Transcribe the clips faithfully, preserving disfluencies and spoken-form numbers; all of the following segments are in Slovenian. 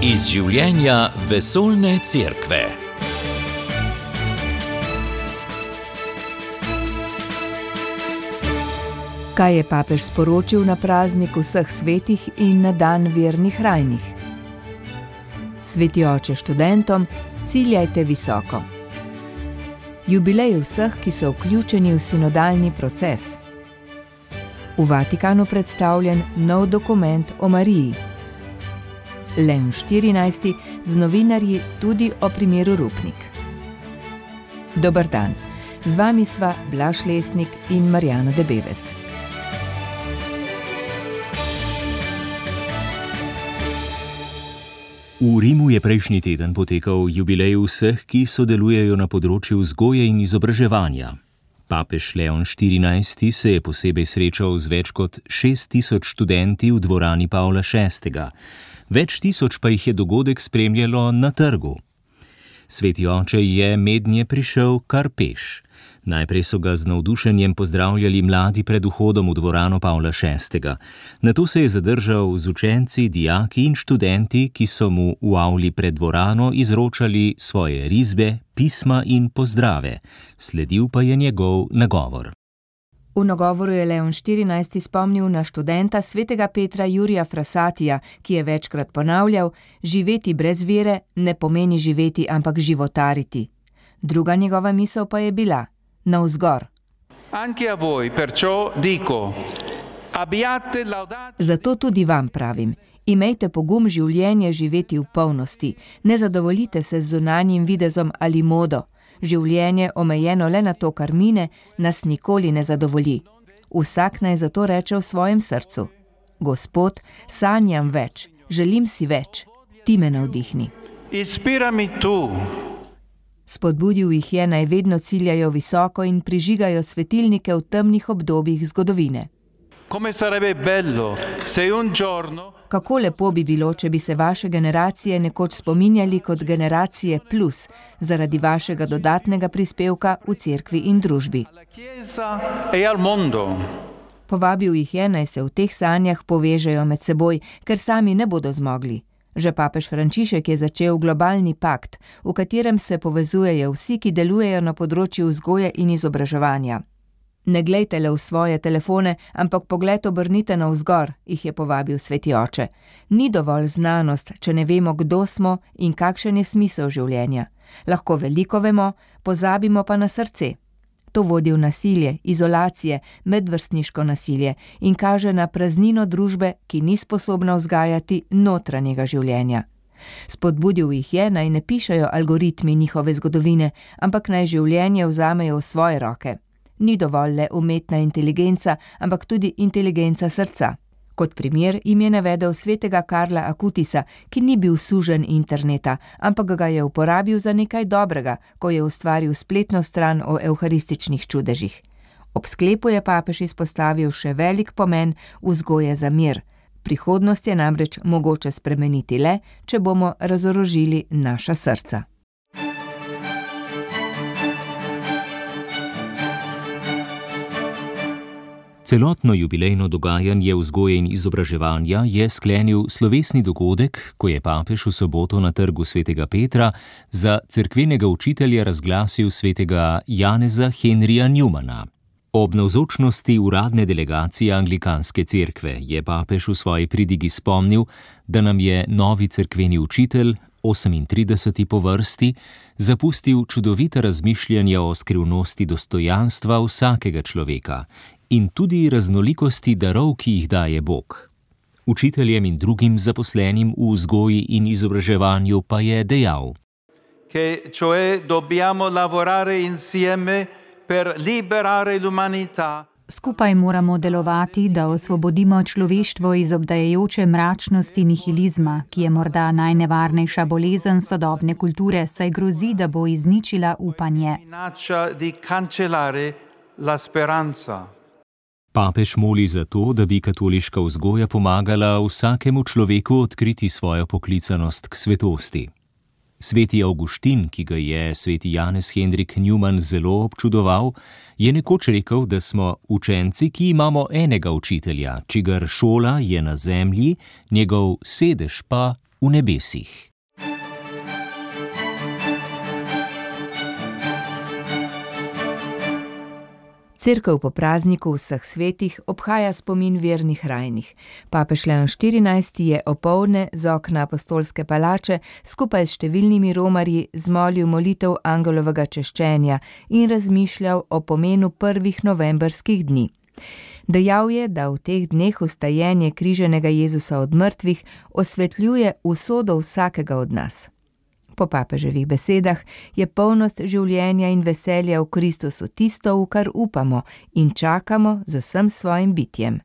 Iz življenja vesoljne cerkve. Kaj je papež sporočil na praznik vseh svetih in na dan vernih rajnih? Sveti oče študentom, ciljajte visoko. Jubilej vseh, ki so vključeni v sinodalni proces. V Vatikanu predstavljen nov dokument o Mariji. Leon štirinajsti z novinarji tudi o primeru Rupnik. Dober dan, z vami sva Blaž Lesnik in Marjana Debevec. V Rimu je prejšnji teden potekal jubilej vseh, ki sodelujejo na področju vzgoje in izobraževanja. Papež Leon štirinajsti se je posebej srečal z več kot šest tisoč študenti v dvorani Pavla šestega. Več tisoč pa jih je dogodek spremljalo na trgu. Sveti oče je mednje prišel kar peš. Najprej so ga z navdušenjem pozdravljali mladi pred vhodom v dvorano Pavla šestega. Nato se je zadržal z učenci, dijaki in študenti, ki so mu v avli pred dvorano izročali svoje risbe, pisma in pozdrave. Sledil pa je njegov nagovor. V nagovoru je Leon štirinajsti spomnil na študenta svetega Petra Jurija Frassatija, ki je večkrat ponavljal: živeti brez vere ne pomeni živeti, ampak životariti. Druga njegova misel pa je bila: navzgor. Zato tudi vam pravim, imejte pogum življenje živeti v polnosti, ne zadovoljite se z zunanjim videzom ali modo. Življenje, omejeno le na to, kar mine, nas nikoli ne zadovolji. Vsak naj zato reče v svojem srcu: Gospod, sanjam več, želim si več, ti me navdihni. Inspirami tu. Spodbudil jih je, naj vedno ciljajo visoko in prižigajo svetilnike v temnih obdobjih zgodovine. Kako lepo bi bilo, če bi se vaše generacije nekoč spominjali kot generacije plus, zaradi vašega dodatnega prispevka v cerkvi in družbi. Povabil jih je, naj se v teh sanjah povežejo med seboj, ker sami ne bodo zmogli. Že papež Frančišek je začel globalni pakt, v katerem se povezujejo vsi, ki delujejo na področju vzgoje in izobraževanja. Ne glejte le v svoje telefone, ampak pogled obrnite navzgor, jih je povabil sveti oče. Ni dovolj znanost, če ne vemo, kdo smo in kakšen je smisel življenja. Lahko veliko vemo, pozabimo pa na srce. To vodi v nasilje, izolacije, medvrstniško nasilje in kaže na praznino družbe, ki ni sposobna vzgajati notranjega življenja. Spodbudil jih je, naj ne pišejo algoritmi njihove zgodovine, ampak naj življenje vzamejo v svoje roke. Ni dovolj le umetna inteligenca, ampak tudi inteligenca srca. Kot primer jim je navedel svetega Karla Akutisa, ki ni bil suženj interneta, ampak ga je uporabil za nekaj dobrega, ko je ustvaril spletno stran o evharističnih čudežih. Ob sklepu je papež izpostavil še velik pomen vzgoje za mir. Prihodnost je namreč mogoče spremeniti le, če bomo razorožili naša srca. Celotno jubilejno dogajanje vzgoje in izobraževanja je sklenil slovesni dogodek, ko je papež v soboto na trgu svetega Petra za cerkvenega učitelja razglasil svetega Janeza Henrija Newmana. Ob navzočnosti uradne delegacije anglikanske cerkve je papež v svoji pridigi spomnil, da nam je novi cerkveni učitelj, osemintrideseti po vrsti, zapustil čudovita razmišljanja o skrivnosti dostojanstva vsakega človeka in tudi raznolikosti darov, ki jih daje Bog. Učiteljem in drugim zaposlenim v vzgoji in izobraževanju pa je dejal: Che cioè dobbiamo lavorare insieme per liberare l'umanità. Skupaj moramo delovati, da osvobodimo človeštvo iz obdajajoče mračnosti nihilizma, ki je morda najnevarnejša bolezen sodobne kulture, saj grozi, da bo izničila upanje. Papež moli za to, da bi katoliška vzgoja pomagala vsakemu človeku odkriti svojo poklicanost k svetosti. Sveti Avguštin, ki ga je sveti Janez Henrik Newman zelo občudoval, je nekoč rekel, da smo učenci, ki imamo enega učitelja, čigar šola je na zemlji, njegov sedež pa v nebesih. Cerkev po prazniku vseh svetih obhaja spomin vernih rajnih. Papež Leon štirinajsti je opoldne z okna apostolske palače skupaj s številnimi romarji zmolil molitev angelovega češčenja in razmišljal o pomenu prvih novembrskih dni. Dejal je, da v teh dneh vstajenje križanega Jezusa od mrtvih osvetljuje usodo vsakega od nas. Po papeževih besedah je polnost življenja in veselja v Kristusu tisto, v kar upamo in čakamo z vsem svojim bitjem.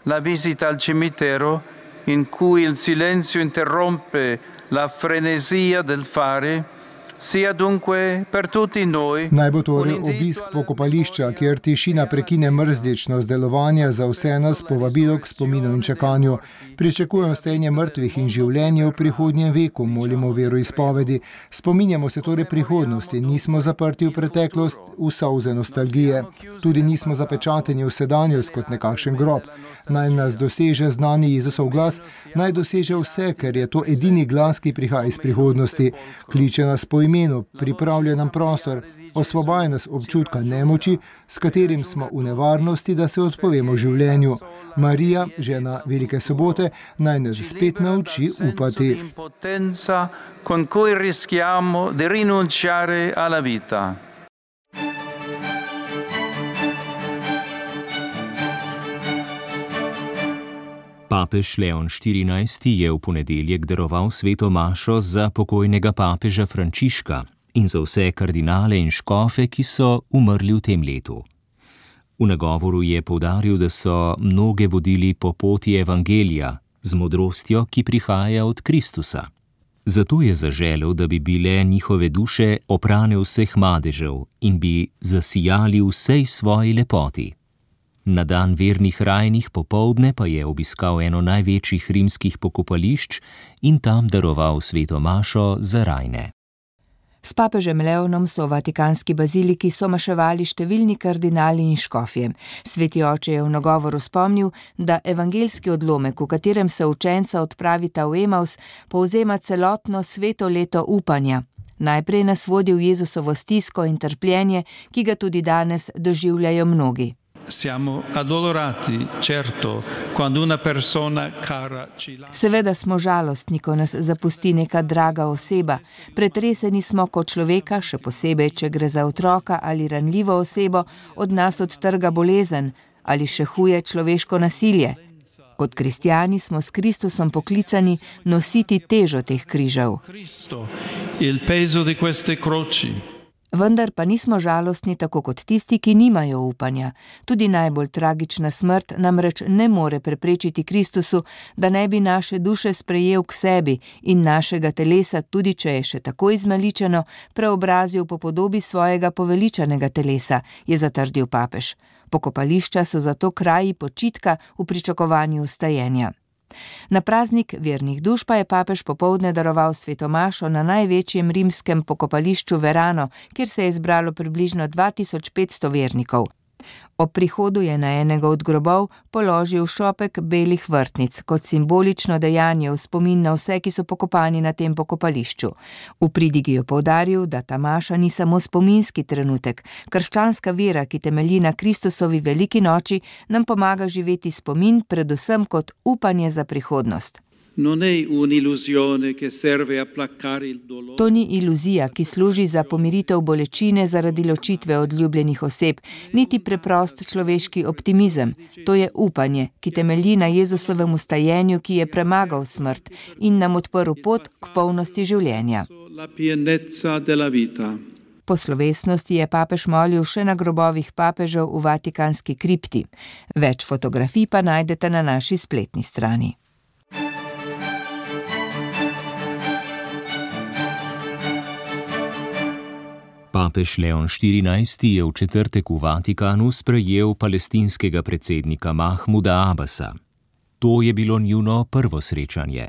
La visita al cimitero, in cui il silenzio interrompe la frenesia del fare, sia dunque per tutti noi. Naj bo torej obisk pokopališča, kjer tišina prekine mrzličnost delovanja, za vse nas povabilo k spominu in čakanju. Pričakujem vstajenje mrtvih in življenje v prihodnjem veku, molimo veroizpovedi. Spominjamo se torej prihodnosti, nismo zaprti v preteklost, v solze nostalgije. Tudi nismo zapečateni v sedanjost kot nekakšen grob. Naj nas doseže znani Jezusov glas, naj doseže vse, ker je to edini glas, ki prihaja iz prihodnosti. Kliče nas po imenu, pripravlja nam prostor, osvobaja nas občutka nemoči, s katerim smo v nevarnosti, da se odpovemo življenju. Marija, žena Velike sobote, naj nas spet nauči upati. Con cui rischiamo di rinunciare alla vita. Papež Leon štirinajsti je v ponedeljek daroval sveto mašo za pokojnega papeža Frančiška in za vse kardinale in škofe, ki so umrli v tem letu. V nagovoru je poudaril, da so mnoge vodili po poti evangelija z modrostjo, ki prihaja od Kristusa. Zato je zaželel, da bi bile njihove duše oprane vseh madežev in bi zasijali vsej svoji lepoti. Na dan vernih rajnih popoldne pa je obiskal eno največjih rimskih pokopališč in tam daroval sveto mašo za rajne. S papežem Leonom so v vatikanski baziliki somaševali številni kardinali in škofje. Sveti oče je v nagovoru spomnil, da evangeljski odlomek, v katerem se učenca odpravita v Emaus, povzema celotno sveto leto upanja. Najprej nas vodi v Jezusovo stisko in trpljenje, ki ga tudi danes doživljajo mnogi. Siamo addolorati, certo, quando una persona cara ci lascia. Seveda smo žalostni, ko nas zapusti neka draga oseba. Pretreseni smo, ko človeka, še posebej, če gre za otroka ali ranljivo osebo, od nas odtrga bolezen ali še huje človeško nasilje. Kot kristjani smo s Kristusom poklicani nositi težo teh križev. Il peso di queste croci. Vendar pa nismo žalostni tako kot tisti, ki nimajo upanja. Tudi najbolj tragična smrt namreč ne more preprečiti Kristusu, da ne bi naše duše sprejel k sebi in našega telesa, tudi če je še tako izmaličeno, preobrazil po podobi svojega poveličanega telesa, je zatrdil papež. Pokopališča so zato kraji počitka v pričakovanju vstajenja. Na praznik vernih duš pa je papež popoldne daroval sveto mašo na največjem rimskem pokopališču Verano, kjer se je zbralo približno dva tisoč petsto vernikov. Ob prihodu je na enega od grobov položil šopek belih vrtnic kot simbolično dejanje v spomin na vse, ki so pokopani na tem pokopališču. V pridigi je poudaril, da ta maša ni samo spominski trenutek. Krščanska vera, ki temelji na Kristusovi veliki noči, nam pomaga živeti spomin predvsem kot upanje za prihodnost. To ni iluzija, ki služi za pomiritev bolečine zaradi ločitve od ljubljenih oseb, niti preprost človeški optimizem. To je upanje, ki temelji na Jezusovem vstajenju, ki je premagal smrt in nam odprl pot k polnosti življenja. Po slovesnosti je papež molil še na grobovih papežev v vatikanski kripti. Več fotografij pa najdete na naši spletni strani. Papež Leon štirinajsti je v četrtek v Vatikanu sprejel palestinskega predsednika Mahmuda Abasa. To je bilo njuno prvo srečanje.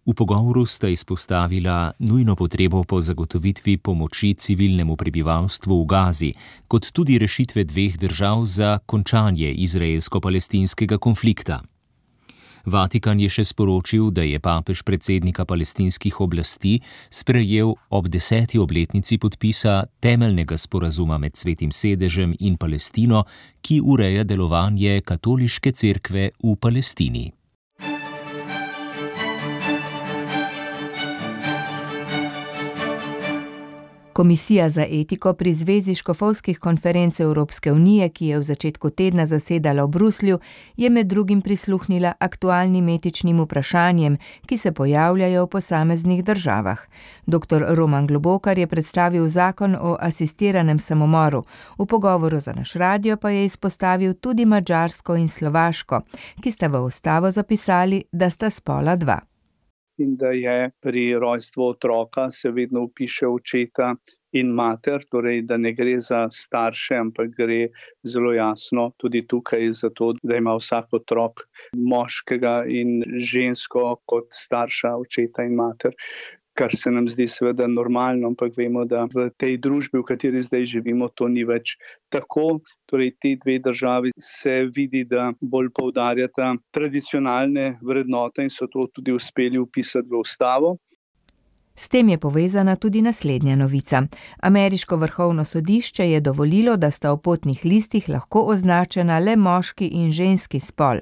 V pogovoru sta izpostavila nujno potrebo po zagotovitvi pomoči civilnemu prebivalstvu v Gazi, kot tudi rešitve dveh držav za končanje izraelsko-palestinskega konflikta. Vatikan je še sporočil, da je papež predsednika palestinskih oblasti sprejel ob deseti obletnici podpisa temeljnega sporazuma med Svetim sedežem in Palestino, ki ureja delovanje katoliške cerkve v Palestini. Komisija za etiko pri Zvezi škofovskih konferenc Evropske unije, ki je v začetku tedna zasedala v Bruslju, je med drugim prisluhnila aktualnim etičnim vprašanjem, ki se pojavljajo v posameznih državah. Doktor Roman Globokar je predstavil zakon o asistiranem samomoru. V pogovoru za naš radio pa je izpostavil tudi Madžarsko in Slovaško, ki sta v ustavo zapisali, da sta spola dva. In da je pri rojstvu otroka se vedno vpiše očeta in mater, torej da ne gre za starše, ampak gre zelo jasno tudi tukaj za to, da ima vsak otrok moškega in žensko kot starša očeta in mater. Kar se nam zdi seveda normalno, ampak vemo, da v tej družbi, v kateri zdaj živimo, to ni več tako. Torej, ti dve državi se vidi, da bolj poudarjata tradicionalne vrednote in so to tudi uspeli vpisati v ustavo. S tem je povezana tudi naslednja novica. Ameriško vrhovno sodišče je dovolilo, da sta v potnih listih lahko označena le moški in ženski spol.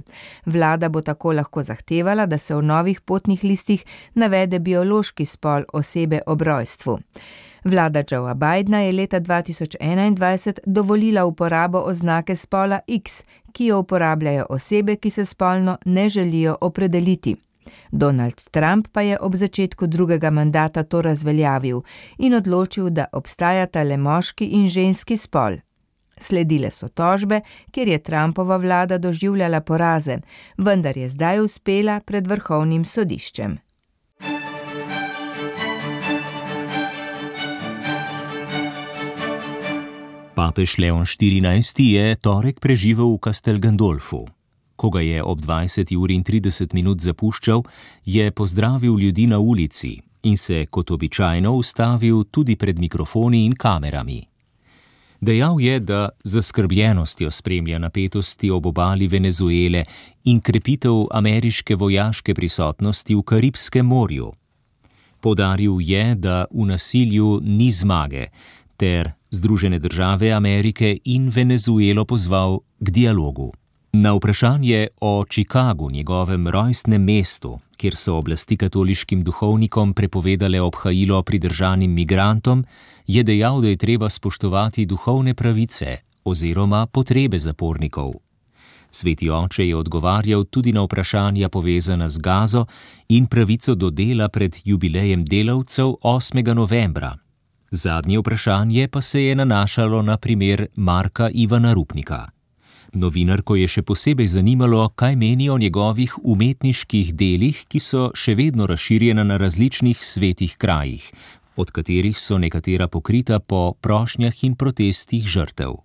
Vlada bo tako lahko zahtevala, da se v novih potnih listih navede biološki spol osebe ob rojstvu. Vlada Joea Bidna je leta dva tisoč enaindvajset dovolila uporabo oznake spola X, ki jo uporabljajo osebe, ki se spolno ne želijo opredeliti. Donald Trump pa je ob začetku drugega mandata to razveljavil in odločil, da obstajata le moški in ženski spol. Sledile so tožbe, kjer je Trumpova vlada doživljala poraze, vendar je zdaj uspela pred vrhovnim sodiščem. Papež Leon štirinajsti je torek preživel v Castel Gandolfu. Ko ga je ob dvajseti uri in trideset minut zapuščal, je pozdravil ljudi na ulici in se kot običajno ustavil tudi pred mikrofoni in kamerami. Dejal je, da z zaskrbljenostjo spremlja napetosti ob obali Venezuele in krepitev ameriške vojaške prisotnosti v Karibskem morju. Poudaril je, da v nasilju ni zmage, ter Združene države Amerike in Venezuelo pozval k dialogu. Na vprašanje o Chicagu, njegovem rojstnem mestu, kjer so oblasti katoliškim duhovnikom prepovedale obhajilo pridržanim migrantom, je dejal, da je treba spoštovati duhovne pravice oziroma potrebe zapornikov. Sveti oče je odgovarjal tudi na vprašanja povezana z Gazo in pravico do dela pred jubilejem delavcev osmega novembra. Zadnje vprašanje pa se je nanašalo na primer Marka Ivana Rupnika. Novinarko je še posebej zanimalo, kaj meni o njegovih umetniških delih, ki so še vedno razširjena na različnih svetih krajih, od katerih so nekatera pokrita po prošnjah in protestih žrtev.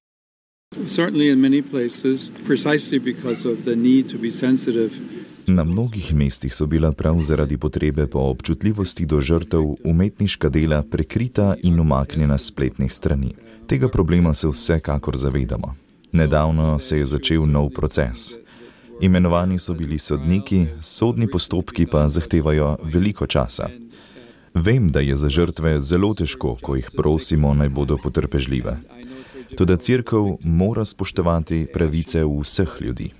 Na mnogih mestih so bila prav zaradi potrebe po občutljivosti do žrtev umetniška dela prekrita in umaknjena s spletnih strani. Tega problema se vsekakor zavedamo. Nedavno se je začel nov proces. Imenovani so bili sodniki, sodni postopki pa zahtevajo veliko časa. Vem, da je za žrtve zelo težko, ko jih prosimo, naj bodo potrpežljive. Toda cerkev mora spoštovati pravice vseh ljudi.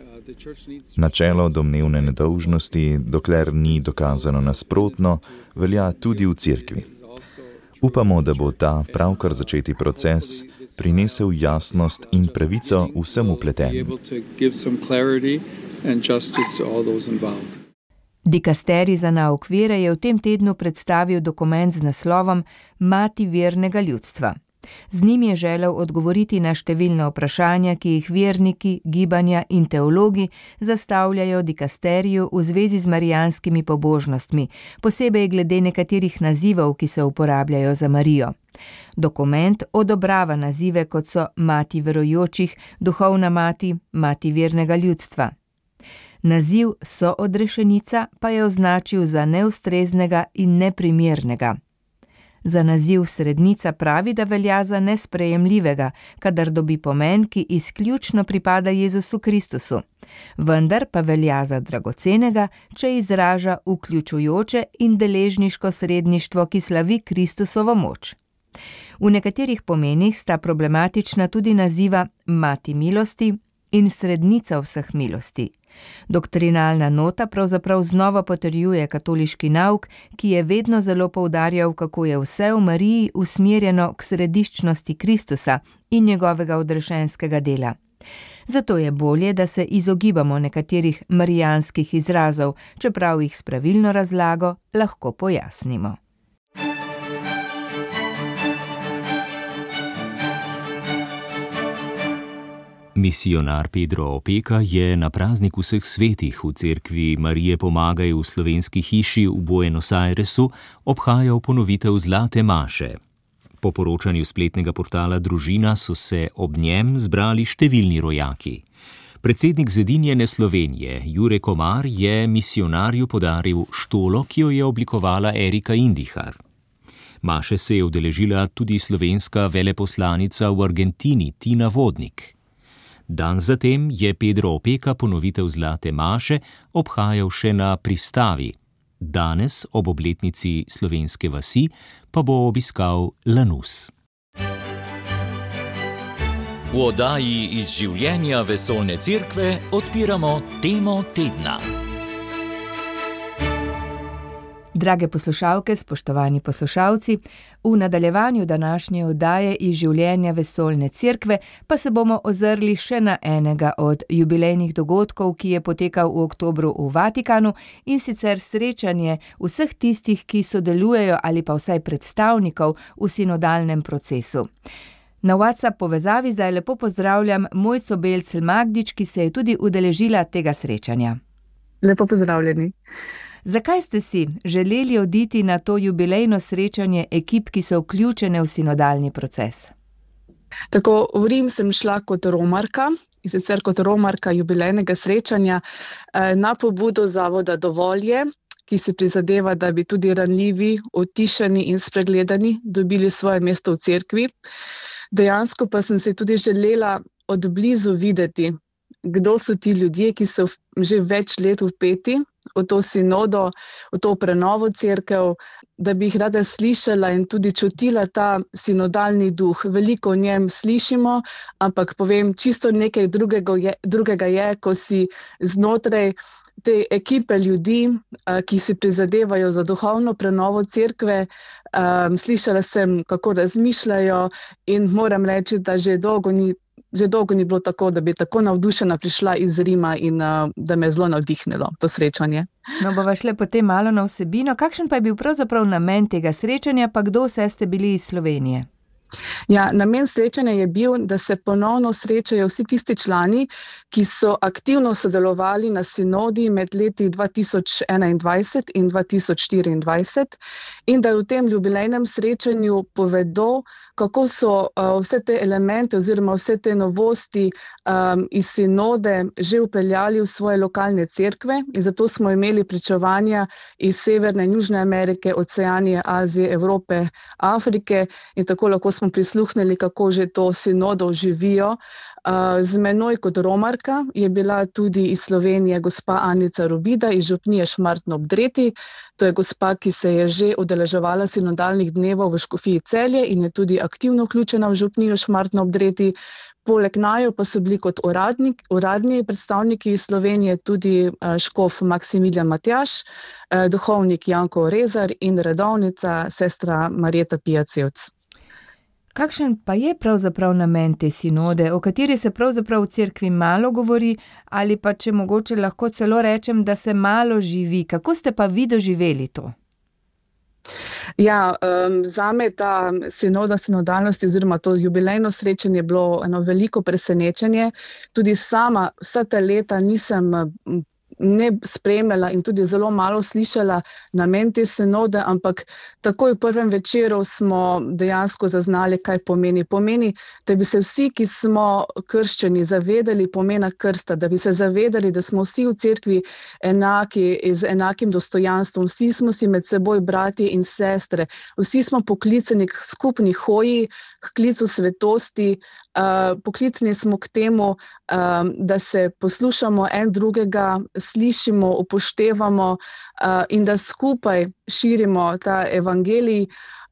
Načelo domnevne nedolžnosti, dokler ni dokazano nasprotno, velja tudi v cerkvi. Upamo, da bo ta pravkar začeti proces prinesel jasnost in pravico vsem vpletenim. Dikasterij za nauk vere je v tem tednu predstavil dokument z naslovom Mati vernega ljudstva. Z njim je želel odgovoriti na številna vprašanja, ki jih verniki, gibanja in teologi zastavljajo dikasteriju v zvezi z marijanskimi pobožnostmi, posebej glede nekaterih nazivov, ki se uporabljajo za Marijo. Dokument odobrava nazive, kot so mati verujočih, duhovna mati, mati vernega ljudstva. Naziv soodrešenica pa je označil za neustreznega in neprimernega. Za naziv srednica pravi, da velja za nesprejemljivega, kadar dobi pomen, ki izključno pripada Jezusu Kristusu. Vendar pa velja za dragocenega, če izraža vključujoče in deležniško sredništvo, ki slavi Kristusovo moč. V nekaterih pomenih sta problematična tudi naziva mati milosti in srednica vseh milosti. Doktrinalna nota pravzaprav znova potrjuje katoliški nauk, ki je vedno zelo poudarjal, kako je vse v Mariji usmerjeno k središčnosti Kristusa in njegovega odrešenskega dela. Zato je bolje, da se izogibamo nekaterih marijanskih izrazov, čeprav jih s pravilno razlago lahko pojasnimo. Misijonar Pedro Opeka je na praznik vseh svetih v cerkvi Marije Pomagaj v slovenski hiši v Buenos Airesu obhajal ponovitev Zlate maše. Po poročanju spletnega portala Družina so se ob njem zbrali številni rojaki. Predsednik Zedinjene Slovenije Jure Komar je misijonarju podaril štolo, ki jo je oblikovala Erika Indihar. Maše se je udeležila tudi slovenska veleposlanica v Argentini Tina Vodnik. Dan zatem je Pedro Opeka ponovitev Zlate maše obhajal še na Pristavi. Danes, ob obletnici slovenske vasi, pa bo obiskal Lanus. V oddaji Iz življenja vesoljne cerkve odpiramo temo tedna. Drage poslušalke, spoštovani poslušalci, v nadaljevanju današnje oddaje Iz življenja vesoljne cerkve pa se bomo ozrli še na enega od jubilejnih dogodkov, ki je potekal v oktobru v Vatikanu, in sicer srečanje vseh tistih, ki sodelujejo ali pa vsaj predstavnikov v sinodalnem procesu. Na WhatsApp povezavi zdaj lepo pozdravljam Mojco Belcel Magdič, ki se je tudi udeležila tega srečanja. Lepo pozdravljeni. Zakaj ste si želeli oditi na to jubilejno srečanje ekip, ki so vključene v sinodalni proces? Tako, v Rim sem šla kot romarka, in sicer kot romarka jubilejnega srečanja na pobudo zavoda Dovolje, ki si prizadeva, da bi tudi ranljivi, utišani in spregledani dobili svoje mesto v cerkvi. Dejansko pa sem si tudi želela od blizu videti, kdo so ti ljudje, ki so že več let vpeti v to sinodo, v to prenovo cerkev, da bi jih rada slišala in tudi čutila ta sinodalni duh. Veliko o njem slišimo, ampak povem, čisto nekaj drugega je, drugega je, ko si znotraj te ekipe ljudi, ki si prizadevajo za duhovno prenovo cerkve, um, slišala sem, kako razmišljajo, in moram reči, da že dolgo ni Že dolgo ni bilo tako, da bi tako navdušena prišla iz Rima in uh, da me je zelo navdihnilo to srečanje. No, bova šle potem malo na vsebino. Kakšen pa je bil pravzaprav namen tega srečanja, pa kdo vse ste bili iz Slovenije? Ja, namen srečanja je bil, da se ponovno srečajo vsi tisti člani, ki so aktivno sodelovali na sinodi med leti dva tisoč enaindvajset in dva tisoč štiriindvajset in da v tem jubilejnem srečanju povedo, kako so uh, vse te elemente oziroma vse te novosti um, iz sinode že vpeljali v svoje lokalne cerkve, in zato smo imeli pričevanja iz Severne in Južne Amerike, Oceanije, Azije, Evrope, Afrike, in tako lahko smo prisluhnili, kako že to sinodo živijo. Z menoj kot romarka je bila tudi iz Slovenije gospa Anica Robida iz župnije Šmartno ob Dreti. To je gospa, ki se je že udeleževala sinodalnih dnevov v Škofiji Celje in je tudi aktivno vključena v župnijo Šmartno ob Dreti. Poleg naju pa so bili kot uradnik, uradni predstavniki iz Slovenije tudi škof Maksimilijan Matjaž, duhovnik Janko Rezar in redovnica sestra Marjeta Pijacevc. Kakšen pa je pravzaprav namen te sinode, o kateri se pravzaprav v cerkvi malo govori, ali pa če mogoče lahko celo rečem, da se malo živi? Kako ste pa vi doživeli to? Ja, um, zame ta sinoda sinodalnosti oziroma to jubilejno srečanje je bilo eno veliko presenečenje. Tudi sama vsa ta leta nisem ne spremljala in tudi zelo malo slišala namen te sinode, ampak takoj v prvem večeru smo dejansko zaznali, kaj pomeni. Pomeni, da bi se vsi, ki smo krščeni, zavedali pomena krsta, da bi se zavedali, da smo vsi v cerkvi enaki, z enakim dostojanstvom, vsi smo si med seboj bratje in sestre, vsi smo poklicani k skupni hoji, k klicu svetosti, uh, poklicani smo k temu, um, da se poslušamo en drugega, slišimo, upoštevamo uh, in da skupaj širimo ta evangelij.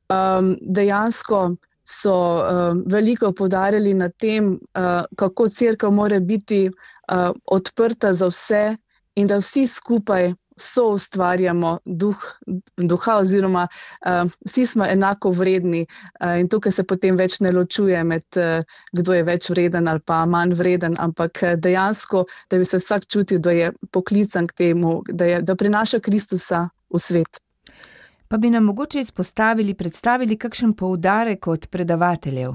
Um, dejansko so um, veliko poudarjali na tem, uh, kako cerkev mora biti uh, odprta za vse in da vsi skupaj so ustvarjamo duh, duha oziroma uh, vsi smo enako vredni uh, in tukaj se potem več ne ločuje med uh, kdo je več vreden ali pa manj vreden, ampak dejansko, da bi se vsak čutil, da je poklican k temu, da, je, da prinaša Kristusa v svet. Pa bi nam mogoče izpostavili, predstavili kakšen poudarek od predavateljev?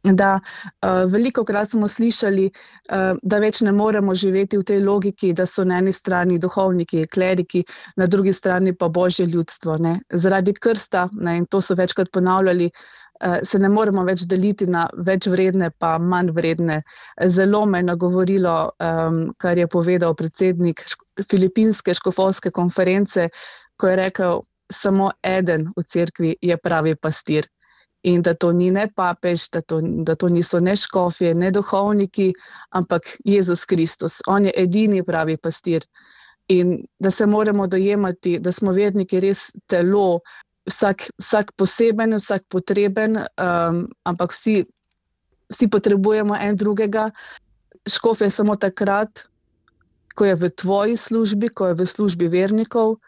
Da, uh, veliko krat smo slišali, uh, da več ne moremo živeti v tej logiki, da so na eni strani duhovniki, kleriki, na drugi strani pa božje ljudstvo. Ne. Zaradi krsta, ne, in to so večkrat ponavljali, uh, se ne moremo več deliti na več vredne pa manj vredne. Zelo me je nagovorilo, um, kar je povedal predsednik filipinske škofovske konference, ko je rekel, samo eden v cerkvi je pravi pastir. In da to ni ne papež, da to, da to niso ne škofje, ne duhovniki, ampak Jezus Kristus. On je edini pravi pastir. In da se moramo dojemati, da smo verniki res telo, vsak, vsak poseben, vsak potreben, um, ampak vsi, vsi potrebujemo en drugega. Škof je samo takrat, ko je v tvoji službi, ko je v službi vernikov,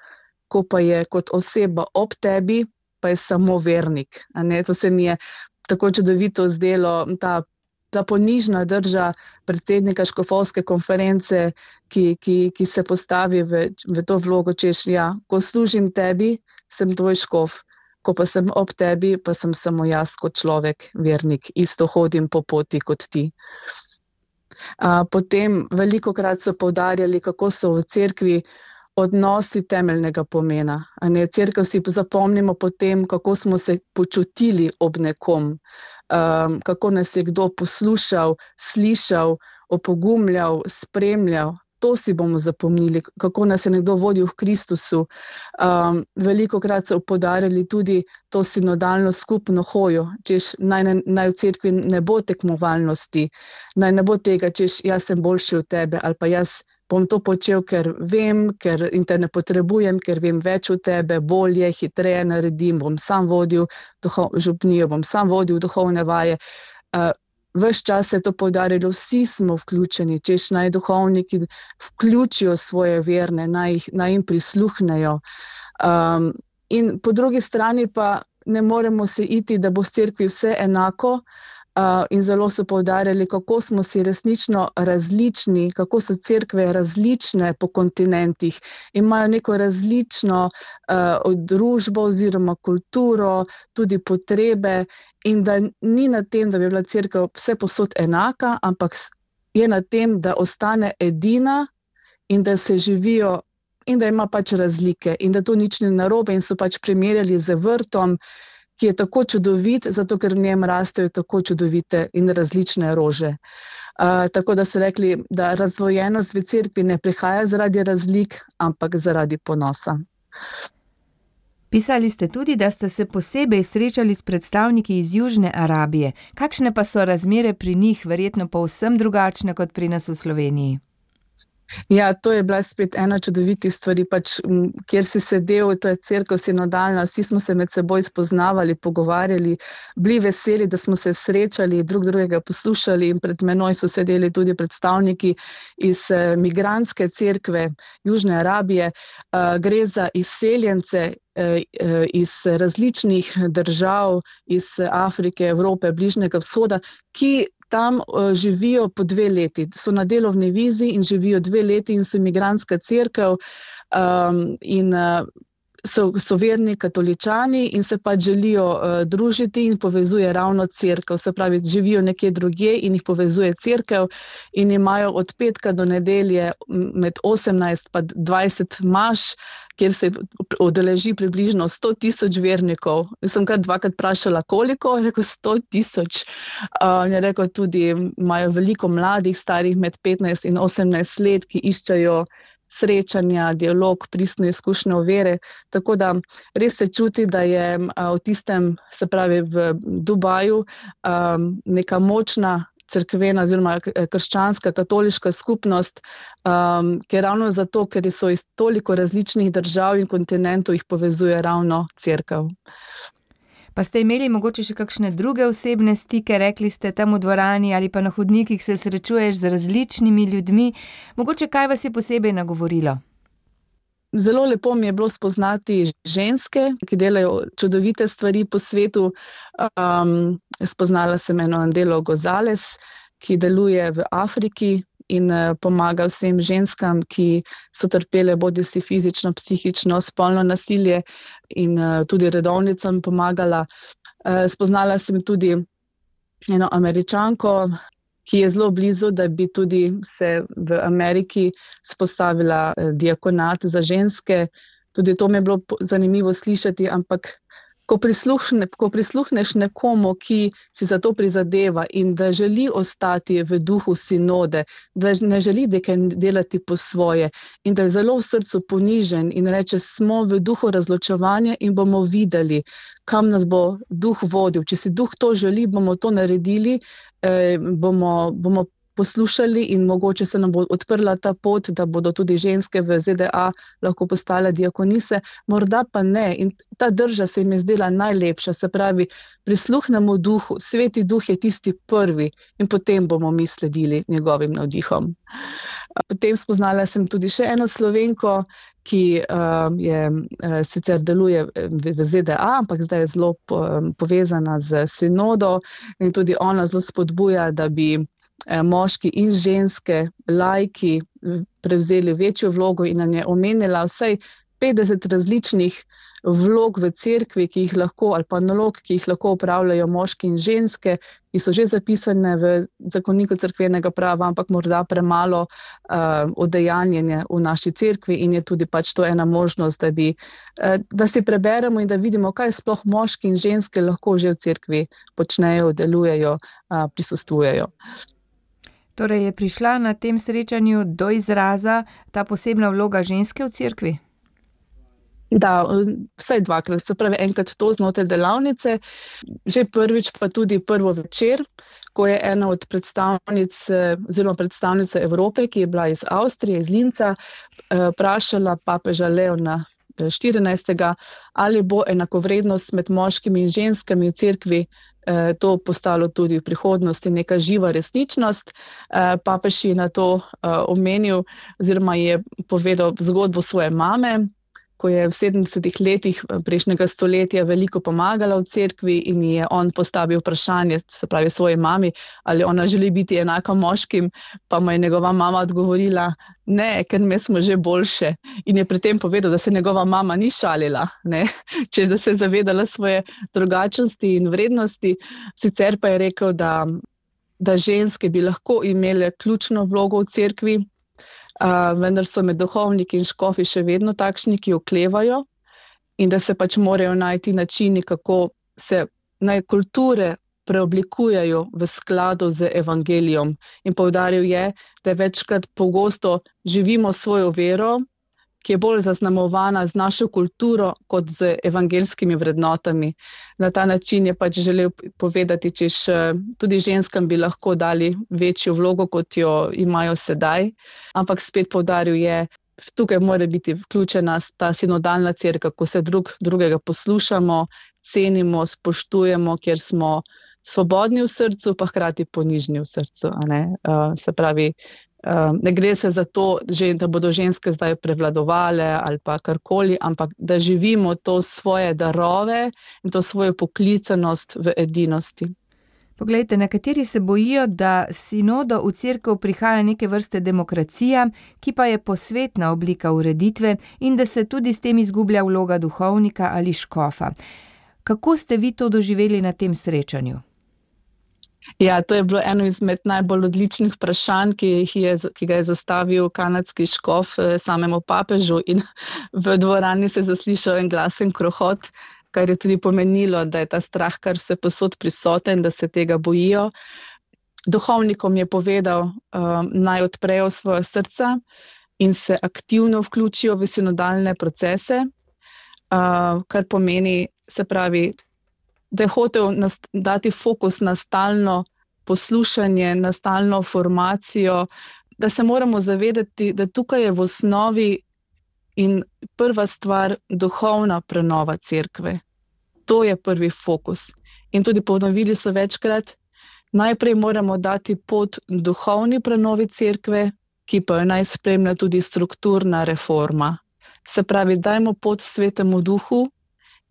ko pa je kot oseba ob tebi, pa je samo vernik. A ne? To se mi je tako čudovito zdelo, ta, ta ponižna drža predsednika škofovske konference, ki, ki, ki se postavi v, v to vlogo, češ, ja, ko služim tebi, sem tvoj škof, ko pa sem ob tebi, pa sem samo jaz kot človek, vernik, isto hodim po poti kot ti. A, potem veliko krat so poudarjali, kako so v cerkvi odnosi temeljnega pomena. A ne, cerkev si zapomnimo potem, kako smo se počutili ob nekom, um, kako nas je kdo poslušal, slišal, opogumljal, spremljal. To si bomo zapomnili, kako nas je nekdo vodil v Kristusu. Um, veliko krat so poudarjali tudi to sinodalno skupno hojo, češ naj, naj v cerkvi ne bo tekmovalnosti, naj ne bo tega, češ jaz sem boljši od tebe ali pa jaz bom to počel, ker vem, ker in te ne potrebujem, ker vem več od tebe, bolje, hitreje naredim, bom sam vodil duhov, župnijo, bom sam vodil duhovne vaje. Uh, ves čas se je to poudarilo, vsi smo vključeni, češ naj duhovniki vključijo svoje verne, naj, naj jim prisluhnejo. Um, in po drugi strani pa ne moremo se iti, da bo v cerkvi vse enako, Uh, in zelo so poudarjali, kako smo si resnično različni, kako so cerkve različne po kontinentih, imajo neko različno uh, družbo oziroma kulturo, tudi potrebe in da ni na tem, da bi bila cerkev vse posod enaka, ampak je na tem, da ostane edina in da se živijo in da ima pač razlike in da to nič ni narobe in so pač primerjali z vrtom, ki je tako čudovit, zato ker v njem rastejo tako čudovite in različne rože. Uh, tako da so rekli, da razvojenost v cerkvi ne prihaja zaradi razlik, ampak zaradi ponosa. Pisali ste tudi, da ste se posebej srečali s predstavniki iz Južne Arabije. Kakšne pa so razmere pri njih, verjetno povsem drugačne kot pri nas v Sloveniji? Ja, to je bila spet ena čudovitih stvari, pač, kjer si sedel, to je cerkev sinodalna, vsi smo se med seboj spoznavali, pogovarjali, bili veseli, da smo se srečali, drug drugega poslušali in pred menoj so sedeli tudi predstavniki iz eh, migrantske cerkve Južne Arabije. Uh, gre za izseljence eh, iz različnih držav, iz Afrike, Evrope, Bližnjega vzhoda, ki tam uh, živijo po dve leti, so na delovni vizi in živijo dve leti in so migrantska cerkev um, in uh, so, so verni katoličani in se pač želijo uh, družiti in povezuje ravno cerkev. Se pravi, živijo nekje drugje in jih povezuje cerkev in imajo od petka do nedelje med osemnajst pa dvajset maš, kjer se udeleži približno sto tisoč vernikov. Jaz sem kar dvakrat vprašala, koliko, je rekel sto tisoč. Uh, je rekel tudi, imajo veliko mladih, starih med petnajst in osemnajst let, ki iščejo srečanja, dialog, pristno izkušnjo vere. Tako da res se čuti, da je v tistem, se pravi v Dubaju, neka močna cerkvena oziroma krščanska, katoliška skupnost, ker ravno zato, ker so iz toliko različnih držav in kontinentov, jih povezuje ravno cerkev. Pa ste imeli mogoče še kakšne druge osebne stike, rekli ste tam v dvorani ali pa na hodnikih se srečuješ z različnimi ljudmi. Mogoče kaj vas je posebej nagovorilo? Zelo lepo mi je bilo spoznati ženske, ki delajo čudovite stvari po svetu. Um, spoznala sem eno Andelo Gonzales, ki deluje v Afriki in pomaga vsem ženskam, ki so trpele bodisi fizično, psihično, spolno nasilje in tudi redovnicam pomagala. Spoznala sem tudi eno Američanko, ki je zelo blizu, da bi tudi se v Ameriki spostavila diakonat za ženske. Tudi to mi je bilo zanimivo slišati, ampak Ko, prisluhne, ko prisluhneš nekomu, ki si za to prizadeva in da želi ostati v duhu sinode, da ne želi delati po svoje in da je zelo v srcu ponižen in reče, smo v duhu razločevanja in bomo videli, kam nas bo duh vodil. Če si duh to želi, bomo to naredili, eh, bomo, bomo poslušali in mogoče se nam bo odprla ta pot, da bodo tudi ženske v Z D A lahko postale diakonise, morda pa ne. In ta drža se mi je zdela najlepša, se pravi, prisluhnemo duhu, sveti duh je tisti prvi in potem bomo mi sledili njegovim navdihom. Potem spoznala sem tudi še eno Slovenko, ki uh, je, uh, sicer deluje v, v Z D A, ampak zdaj je zelo po, um, povezana z sinodo in tudi ona zelo spodbuja, da bi moški in ženske, laiki, prevzeli večjo vlogo in nam je omenila vsaj petdeset različnih vlog v cerkvi, ki jih lahko, ali pa nalog, ki jih lahko opravljajo moški in ženske, ki so že zapisane v zakoniku cerkvenega prava, ampak morda premalo uh, odejanjenje v naši cerkvi in je tudi pač to ena možnost, da, bi, uh, da si preberemo in da vidimo, kaj sploh moški in ženske lahko že v cerkvi počnejo, delujejo, uh, prisostvujejo. Torej je prišla na tem srečanju do izraza ta posebna vloga ženske v cerkvi? Da, vsaj dvakrat, se pravi enkrat to znotraj delavnice, že prvič pa tudi prvo večer, ko je ena od predstavnic oziroma predstavnica Evrope, ki je bila iz Avstrije, iz Linca, vprašala papeža Leona štirinajstega ali bo enakovrednost med moškimi in ženskami v cerkvi to postalo tudi v prihodnosti neka živa resničnost. Papež je na to omenil oziroma je povedal zgodbo svoje mame, ko je v sedemdesetih letih prejšnjega stoletja veliko pomagala v cerkvi in je on postavil vprašanje, se pravi svoji mami, ali ona želi biti enaka moškim, pa mu je njegova mama odgovorila, ne, ker mi smo že boljše. In je pri tem povedal, da se njegova mama ni šalila, ne, češ da se je zavedala svoje drugačnosti in vrednosti. Sicer pa je rekel, da, da ženske bi lahko imele ključno vlogo v cerkvi, Uh, vendar so med duhovniki in škofi še vedno takšni, ki oklevajo in da se pač morajo najti načini, kako se naj kulture preoblikujejo v skladu z evangelijom. In poudaril je, da večkrat pogosto živimo svojo vero, ki je bolj zaznamovana z našo kulturo kot z evangeljskimi vrednotami. Na ta način je pač želel povedati, češ tudi ženskam bi lahko dali večjo vlogo, kot jo imajo sedaj, ampak spet poudaril je, tukaj mora biti vključena ta sinodalna cerkev, ko se drug drugega poslušamo, cenimo, spoštujemo, kjer smo svobodni v srcu, pa hkrati ponižni v srcu. A ne? Uh, se pravi, Uh, ne gre se za to, že, da bodo ženske zdaj prevladovale ali pa karkoli, ampak da živimo to svoje darove in to svojo poklicanost v edinosti. Poglejte, nekateri se bojijo, da sinodo v cerkev prihaja neke vrste demokracija, ki pa je posvetna oblika ureditve in da se tudi s tem izgublja vloga duhovnika ali škofa. Kako ste vi to doživeli na tem srečanju? Ja, to je bilo eno izmed najbolj odličnih vprašanj, ki, jih je, ki ga je zastavil kanadski škof samemu papežu, in v dvorani se je zaslišal en glasen krohot, kar je tudi pomenilo, da je ta strah kar vse posod prisoten, da se tega bojijo. Duhovnikom je povedal, um, naj odprejo svoja srca in se aktivno vključijo v sinodalne procese, uh, kar pomeni, se pravi, da je hotel nast- dati fokus na stalno poslušanje, na stalno formacijo, da se moramo zavedati, da tukaj je v osnovi in prva stvar duhovna prenova cerkve. To je prvi fokus. In tudi ponovili so večkrat, najprej moramo dati pot duhovni prenovi cerkve, ki pa jo naj spremlja tudi strukturna reforma. Se pravi, dajmo pot Svetemu Duhu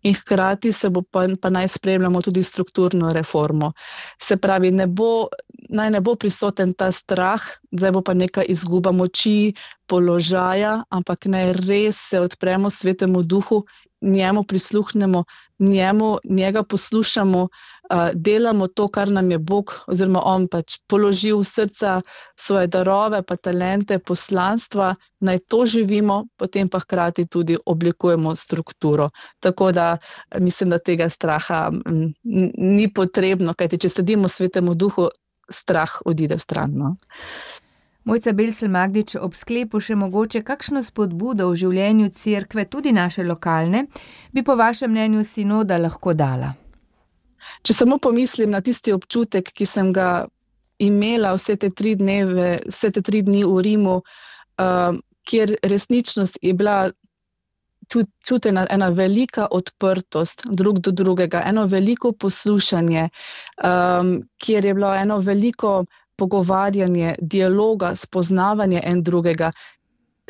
in hkrati se bo pa, pa naj spremljamo tudi strukturno reformo. Se pravi, ne bo, naj ne bo prisoten ta strah, zdaj bo pa neka izguba moči, položaja, ampak naj res se odpremo Svetemu Duhu, njemu prisluhnemo, njemu, njega poslušamo, uh, delamo to, kar nam je Bog oziroma on pač položil v srca, svoje darove, pa talente, poslanstva, naj to živimo, potem pa hkrati tudi oblikujemo strukturo. Tako da mislim, da tega straha m, ni potrebno, kajti če sledimo Svetemu Duhu, strah odide stran. No? Mojca Belcel Magdič, ob sklepu še mogoče kakšno spodbudo v življenju cerkve, tudi naše lokalne, bi po vašem mnenju sinoda lahko dala? Če samo pomislim na tisti občutek, ki sem ga imela vse te tri dneve, vse te tri dni v Rimu, uh, kjer resničnost je bila čutena ena velika odprtost drug do drugega, eno veliko poslušanje, um, kjer je bilo eno veliko pogovarjanje, dialoga, spoznavanje en drugega.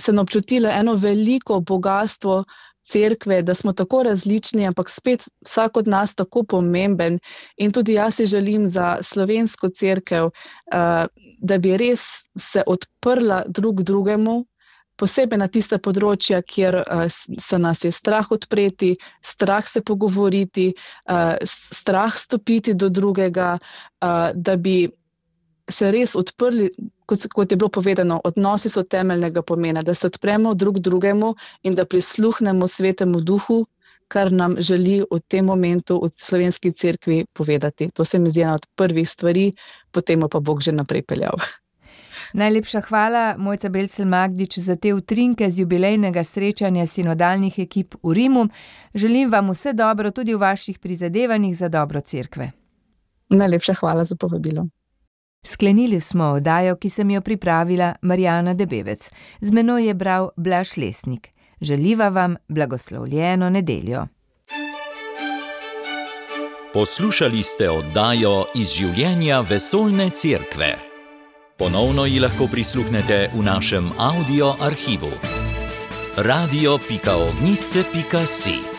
Sem občutila eno veliko bogastvo cerkve, da smo tako različni, ampak spet vsak od nas tako pomemben. In tudi jaz si želim za slovensko cerkev, da bi res se odprla drug drugemu, posebej na tiste področja, kjer se nas je strah odpreti, strah se pogovoriti, strah stopiti do drugega, da bi se res odprli, kot, kot je bilo povedano, odnosi so temeljnega pomena, da se odpremo drug drugemu in da prisluhnemo Svetemu Duhu, kar nam želi v tem momentu v slovenski cerkvi povedati. To se mi zdi ena od prvih stvari, potem pa Bog že naprej peljal. Najlepša hvala, Mojca Belcel Magdič, za te utrinke z jubilejnega srečanja sinodalnih ekip v Rimu. Želim vam vse dobro tudi v vaših prizadevanjih za dobro cerkve. Najlepša hvala za povabilo. Sklenili smo oddajo, ki sem jo pripravila Marjana Debevec. Z menoj je bral Blaž Lesnik. Želiva vam blagoslovljeno nedeljo. Poslušali ste oddajo iz življenja vesoljne cerkve. Ponovno ji lahko prisluhnete v našem audio arhivu. radio pika ognjišče pika si